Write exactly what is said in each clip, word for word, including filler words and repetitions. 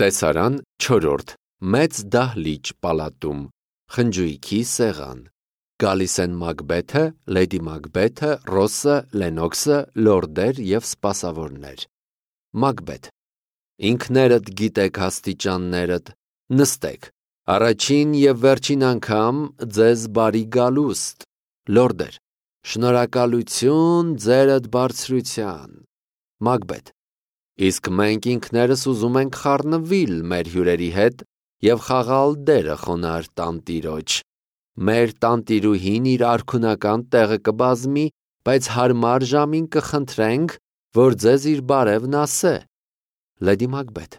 Տեսարան չորրորդ մեծ դահլիճ պալատում, խնջույքի սեղան, գալիս են Մակբեթը, Լեդի Մակբեթը, Ռոսը, Լենոքսը, լորդեր և սպասավորներ։ Մակբեթ. ինքներդ գիտեք աստիճաններդ, նստեք, առաջին և վերջին անգամ ձեզ բարի գալուստ, լորդեր, շնորհակալություն ձերդ բարձրության։ Մակբեթ. իսկ մենք ինքներս ուզում ենք խառնվիլ մեր հյուրերի հետ և խաղալ դերը խոնարհ տանտիրոջ։ Մեր տանտիրուհին իր արքունական տեղը կբազմի, բայց հարմար ժամին կխնդրենք, որ ձեզ իր բարևն ասե։ Լեդի Մակբեթ.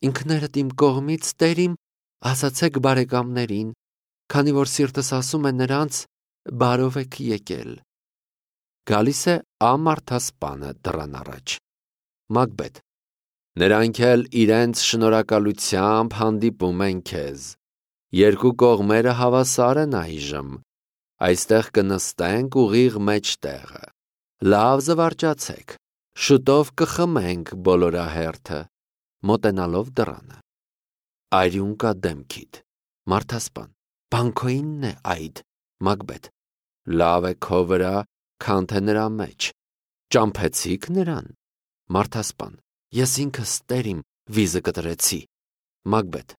ինքներդ իմ կողմից տերիմ, ասացեք բարեկամներին, քանի որ սիրտս ասում է նրանց, բարով եք եկել։ Գալիս է ամարդասպանը դռան առաջ։ Մակբեթ. նրանք էլ իրենց շնորհակալությամբ հանդիպում են քեզ։ Երկու կողմերը հավասար են այժմ։ Այստեղ կնստենք ուղիղ մեջտեղը։ Լավ զվարճացեք, շուտով կխմենք բոլորահերթը, մոտենալով դռանը։ Արյուն կա դեմքիդ։ Մարդասպան. Բանքոյինն է այդ։ Մակբեթ. լավ է քո վրա, քան թե նրա մեջ։ Ճամփեցի՞ք նրան։ Մարդասպան. ես ինքս տերիմ վիզը կտրեցի։ Մակբեթ.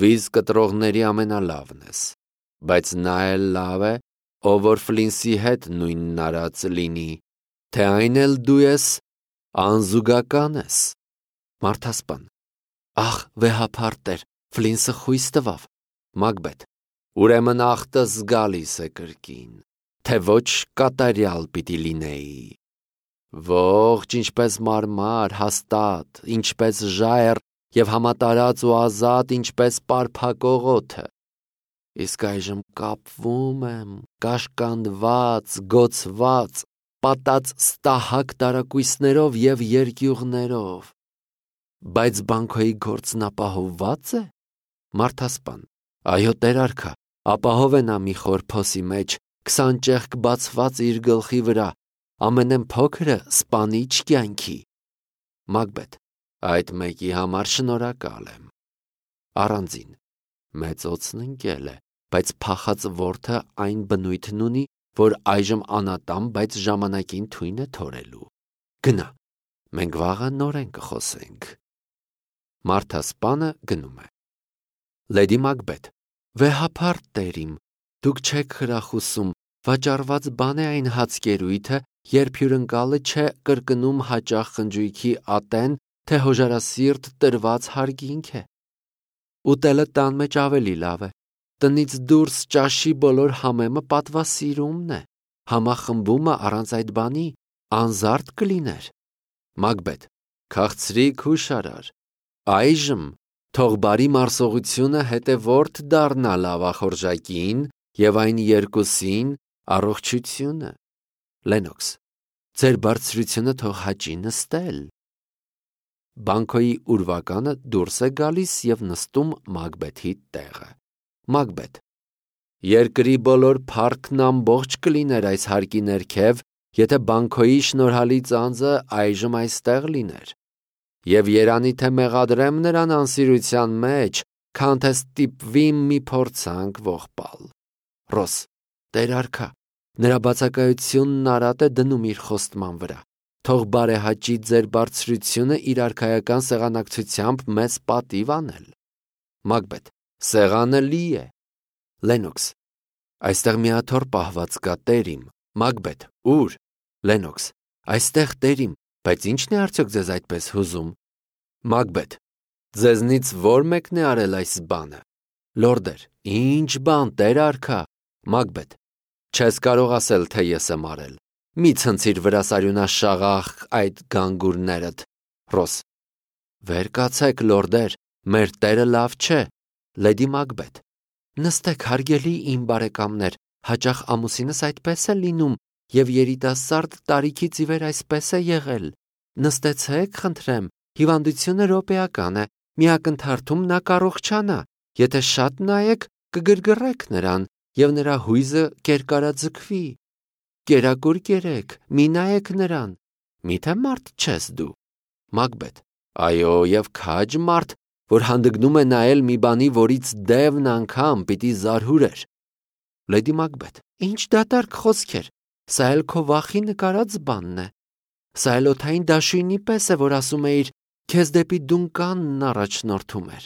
վիզ կտրողների ամենալավն ես, բայց նա էլ լավ է, ով որ Ֆլինսի հետ նույնն արած լինի, թե այն էլ դու ես, անզուգական ես։ Մարդասպան. ախ, վեհափառ տեր, Ֆլինսը խույս տվավ։ Մակբեթ. ուրեմն ախտս գալիս է կրկին, թե ոչ կատարյալ պիտի լինեի։ Ողջ ինչպես մարմար, հաստատ, ինչպես ժայռ և համատարած ու ազատ, ինչպես պարփակող օդը։ Իսկ այժմ կապվում եմ, կաշկանդված, գոցված, պատած ստահակ տարակույսներով և երկյուղներով։ Բայց Բանքոյի գործն ապահովվա՞ծ է։ Մարդասպան. այո, տեր արքա, ապահով է նա մի խոր փոսի մեջ, քսան ճեղք բացված իր գլխի վրա, ամենեն փոքրը սպանիչ կյանքի։ Մակբեթ. այդ մեկի համար շնորհակալ եմ։ Առանձին. մեծ օձն ընկել է, բայց փախած որդը այն բնույթն ունի, որ այժմ անատամ, բայց ժամանակին թույն է թորելու։ Գնա, մենք վաղը նորեն կխոսենք։ Մարդասպանը գնում է։ Լեդի Մակբեթ. վեհափառ տերիմ, դուք չեք խրախուսում, վաճառված բան է այն հացկերույթը, երբ հյուրընկալը չէ կրկնում հաճախ խնջույքի ատեն, թե հոժարասիրտ տրված հարգինք է։ Ուտելը տան մեջ ավելի լավ է։ Տնից դուրս ճաշի բոլոր համեմը պատվասիրումն է։ Համախմբումը առանց այդ բանի անզարդ կլիներ։ Մակբեթ. քաղցրիկ հուշարար, այժմ թող բարի մարսողությունը հետևորդ դառնա լավախորժակին և այն երկուսին առողջությունը։ Լենոքս. ձեր բարձրությունը թող հաճի նստել։ Բանքոյի ուրվականը դուրս է գալիս և նստում Մակբեթի տեղը։ Մակբեթ. երկրի բոլոր փառքն ամբողջ կլիներ այս հարկի ներքև, եթե Բանքոյի շնորհալի ծանծը այժմ այստեղ լիներ։ Եվ երանի թե մեղադրեմ նրան անսիրության մեջ, քան թե ստիպվի մի փորձանք ողբալ։ Ռոս. տեր արքա, նրա բացակայությունն արատ է դնում իր խոստման վրա։ Թող բարեհաճի ձեր բարձրությունը իր արքայական սեղանակցությամբ մեզ պատիվ անել։ Մակբեթ. սեղանը լի է։ Լենոքս. այստեղ միաթոռ պահված կա տերիմ։ Մակբեթ. ուր։ Լենոքս. այստեղ տերիմ, բայց ի՞նչն է արդյոք ձեզ այդպես հուզում։ Մակբեթ. ձեզնից ո՞ր մեկն է արել այս բանը։ Լորդեր. ի՞նչ բան, տեր արքա։ Մակբեթ. չես կարող ասել, թե ես եմ արել։ Մի ցնցիր վրաս արյունաշաղախ այդ գանգուրներդ։ Ռոս. վեր կացեք, լորդեր, մեր տերը լավ չէ։ Լեդի Մակբեթ. նստեք, հարգելի իմ բարեկամներ, հաճախ ամուսինս այդպես է լինում, և երիտասարդ տարիքից ի վեր այսպես է եղել։ Նստեցեք, խնդրեմ, հիվանդությունը րոպեական է, մի ակնթարթում նա կառողջանա, եթե շատ նայեք, կգրգռեք նրան, և նրա հույզը կերկարաձգվի։ Կերակուր կերեք, մի նայեք նրան, միթե մարդ չես դու։ Մակբեթ. այո, և քաջ մարդ, որ հանդգնում է նայել մի բանի, որից դևն անգամ պիտի զարհուրեր։ Լեդի Մակբեթ. Ինչ դատարկ խոսքեր, սա էլ քո վախի նկարած բանն է։ Սա էլ օդային դաշույնի պես է, որ ասում էիր, քեզ դեպի դունկանն առաջնորդում էր։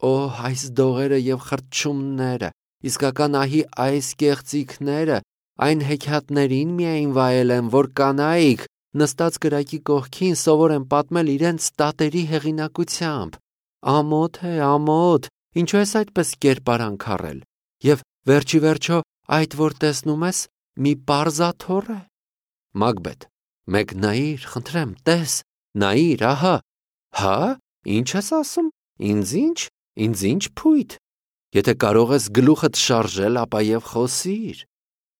Օ, այս դողերը եւ խրճումները, իսկական ահի այս կեղծիքները, այն հեքիաթներին միայն վայել եմ, որ կանայք նստած կրակի կողքին սովոր են պատմել իրենց տատերի հեղինակությամբ։ Ամոթ է, ամոթ, ինչու ես այդպես կերպարանք առել։ Եվ վերջի վերջո այդ որ տեսնում ես, մի պարզաթոռ է։ Մակբեթ. Մեկ նայիր, խնդրեմ, տես, նայիր, ահա։ Հա, ինչ ես ասում, ինձ ինչ, ինձ ինչ փույթ։ Եթե կարող ես գլուխդ շարժել, ապա եւ խոսիր։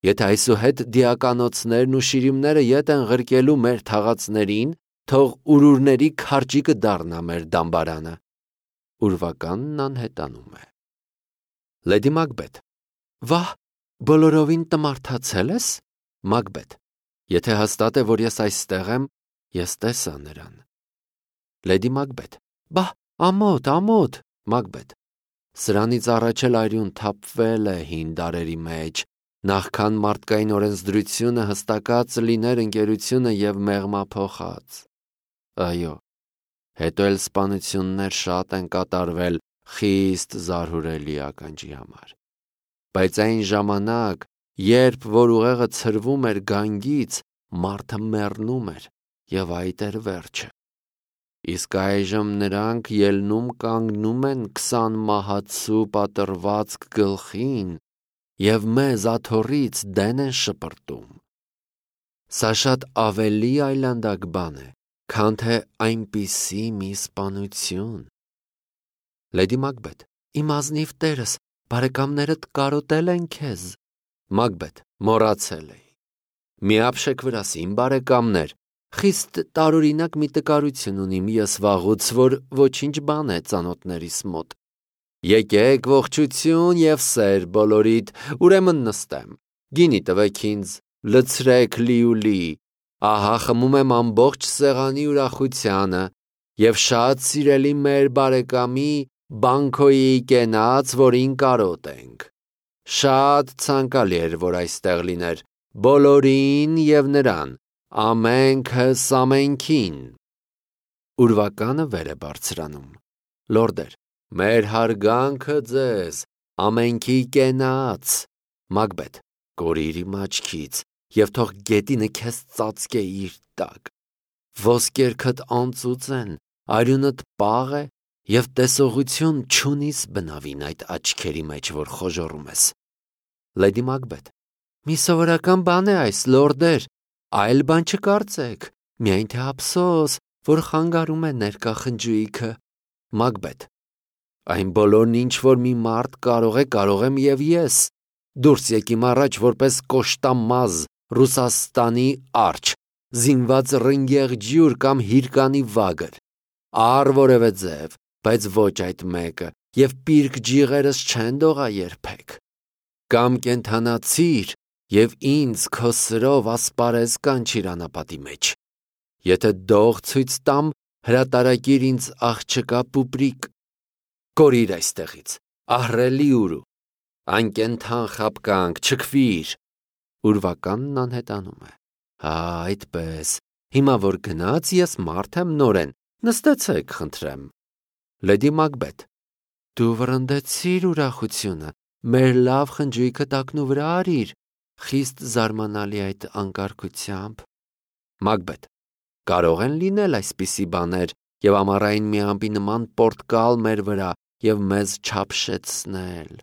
Եթե այսուհետ դիականոցներն ու շիրիմները ետ են ղրկելու մեր թաղածներին, թող ուրուրների քարջիկը դառնա մեր դամբարանը։ Ուրվականն անհետանում է։ Լեդի Մակբեթ. Վահ, բոլորովին տմարդացել ես։ Մակբեթ. Եթե հաստատ է, որ ես այստեղ եմ, ես տեսա նրան։ Լեդի Մակբեթ. Բա, ամոթ, ամոթ։ Մակբեթ. Սրանից առաջ էլ այրուն թափվել է հին դարերի մեջ, նախքան մարդկային օրենսդրությունը հստակած լիներ ընկերությունը եւ մեղմափոխած։ Այո, հետո էլ սպանություններ շատ են կատարվել խիստ զարհուրելի ականջի համար։ Բայց այն ժամանակ, երբ որ ուղեղը ցրվում էր գանգից, մարդը մեռնում էր եւ այդ էր վերջը։ Իսկ այժմ նրանք ելնում կանգնում են քսան մահացու պատրվածք գլխին եւ մեզ աթոռից դեն են շպրտում։ Սա շատ ավելի այլանդակ բան է, քան թե այնպիսի մի սպանություն։ Լեդի Մակբեթ. Իմ ազնիվ տերս, բարեկամներդ կարոտել են քեզ։ Մակբեթ. Մոռացել էի։ Միապշեք վրաս իմ բարեկամներ, խիստ տարօրինակ մի տկարություն ունիմ ես վաղուց, որ ոչինչ բան է ծանոթներիս մոտ։ Եկեք ողջություն եւ սեր բոլորիդ, ուրեմն նստեմ։ Գինի տվեք ինձ, լցրեք լիուլի, ահա խմում եմ ամբողջ սեղանի ուրախությանը եւ շատ սիրելի մեր բարեկամի Բանկոյի կենաց, որին կարոտ ենք։ Շատ ցանկալի էր, որ այստեղ լիներ, բոլորին եւ նրան, ամենքս ամենքին։ Ուրվականը վեր է բարձրանում։ Լորդեր, մեր հարգանքը ձեզ, ամենքի կենաց։ Մակբեթ, կորիր իմ աչքից եւ թող գետինը քեզ ծածկե իր տակ։ Ոսկերքդ անծուծ են, արյունդ պաղ է եւ տեսողություն չունիս բնավին այդ աչքերի մեջ, որ խոժոռում ես։ Լեդի Մակբեթ. Մի սովորական բան է այս, լորդեր, այլ բան չկարծեք, միայն թե ափսոս, որ խանգարում է ներկա խնջույքը։ Մակբեթ. Այն բոլորն ինչ որ մի մարդ կարող է, կարող եմ եւ ես։ Դուրս եկիմ առաջ որպես կոշտամազ Ռուսաստանի արջ, զինված ռնգեղ ջյուր կամ հիրկանի վագր։ Առ որևէ ձև, բայց ոչ այդ մեկը, եւ պիրկ ջիղերս չեն դողա երբեք։ Կամ կենթանացիր եւ ինձ քո սրով ասպարեզ կանչիր անապատի մեջ։ Եթե դող ցույց տամ, հրատարակիր ինձ աղջկա պուպրիկ։ Կորիր այստեղից, ահռելի ուրու, անկենթան խապկանք, չքվիր։ Ուրվականն անհետանում է։ Հա, այդպես, հիմա որ գնաց, ես մարդ եմ նորեն, նստեցեք, խնդրեմ։ Լեդի Մակբեթ. Դու վրընդեցիր ուրախությունը, մեր լավ խնջույքը տակնու վրա արիր, խիստ զարմանալի այդ անկարգությամբ։ Մակբեթ. Կարող են լինել այսպիսի բաներ եւ ամառային մի ամպի նման պորտկալ մեր վրա եւ մեզ չափշեցնել։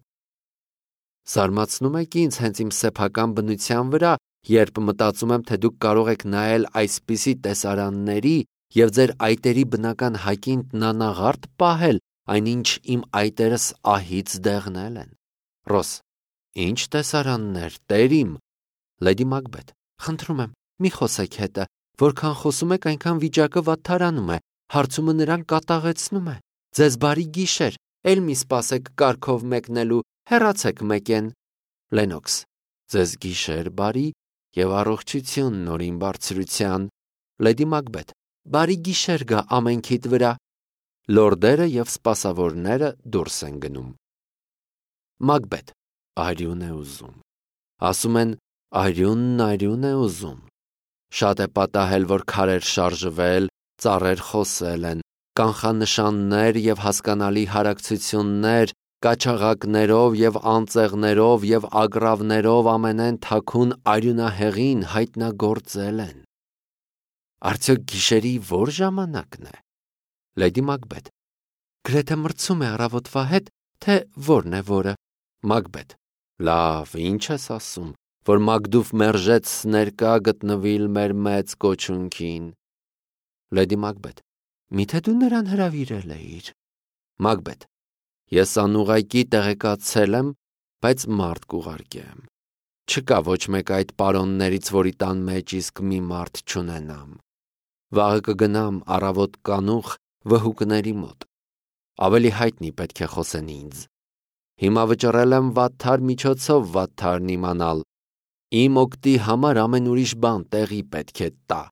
Զարմացնում եք ինձ հենց իմ սեփական բնության վրա, երբ մտածում եմ, թե դուք կարող եք նայել այսպիսի տեսարանների եւ ձեր այտերի բնական հակին տնանաղարդ պահել, այնինչ իմ այտերս ահից դեղնել են։ Ռոս. Ինչ տեսարաններ, տեր իմ։ Լեդի Մակբեթ. Խնդրում եմ, մի խոսեք հետը, որքան խոսում եք, այնքան վիճակը վատթարանում է, հարցումը նրան կատաղեցնում է։ Ձեզ բարի գիշեր, էլ մի սպասեք կարգով մեկնելու, հեռացեք մեկեն։ Լենոքս. Ձեզ գիշեր բարի եւ առողջություն նորին բարձրության։ Լեդի Մակբեթ. Բարի գիշեր գա ամենքիդ վրա։ լորդերը և սպասավորները դուրս են գնում։ Մակբեթ արյուն է ուզում։ Ասում են արյունն արյուն է ուզում։ Շատ է պատահել, որ քարեր շարժվել, ծառեր խոսել են, կանխանշաններ և հասկանալի հարակցություններ կաչաղակներով և անծեղներով և ագռավներով ամենեն թաքուն արյունահեղին հայտնագործել են։ Արդյոք գիշերի ո՞ր ժամանակն է։ Լեդի Մակբեթ. գրեթե մրցում է առավոտվա հետ, թե որն է որը։ Մակբեթ. լավ, ինչ ես ասում, որ Մակդուվ մերժեց ներկա գտնվիլ մեր մեծ կոչունքին։ Լեդի Մակբեթ. միթե դու նրան հրավիրել էիր։ Մակբեթ. ես անուղղակի տեղեկացել եմ, բայց մարդ կուղարկեմ։ Չկա ոչ մեկ այդ պարոններից, որի տան մեջ իսկ մի մարդ չունենամ։ Վաղը կգնամ առավոտ կանուխ վհուկների մոտ։ Ավելի հայտնի պետք է խոսեն ինձ։ Հիմա վճռել եմ վատթար միջոցով վատթարն իմանալ։ Իմ օգտի համար ամեն ուրիշ բան տեղի պետք է տա։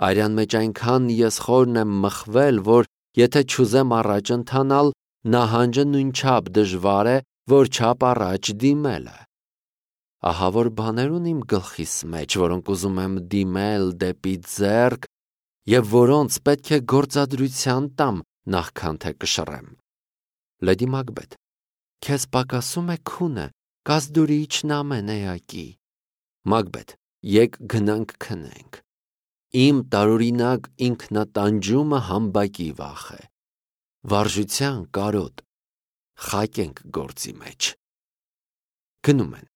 Արյան մեջ այնքան ես խորն եմ մխվել, որ եթե չուզեմ առաջ ընթանալ, նահանջը նույնչափ դժվար է, որչափ առաջ դիմելը։ Ահա որ բաներ ունիմ գլխիս մեջ, որոնք ուզում եմ դիմել դեպի ձեռք և որոնց պետք է գործադրության տամ, նախքան թե կշռեմ։ Լեդի Մակբեթ. քեզ պակասում է քունը, կազդուրիչն ամեն էակի։ Մակբեթ. եկ գնանք քնենք։ Իմ տարօրինակ ինքնատանջումը համբակի վախ է։ Վարժության կարոտ, խակ ենք գործի մեջ։ Գնում են։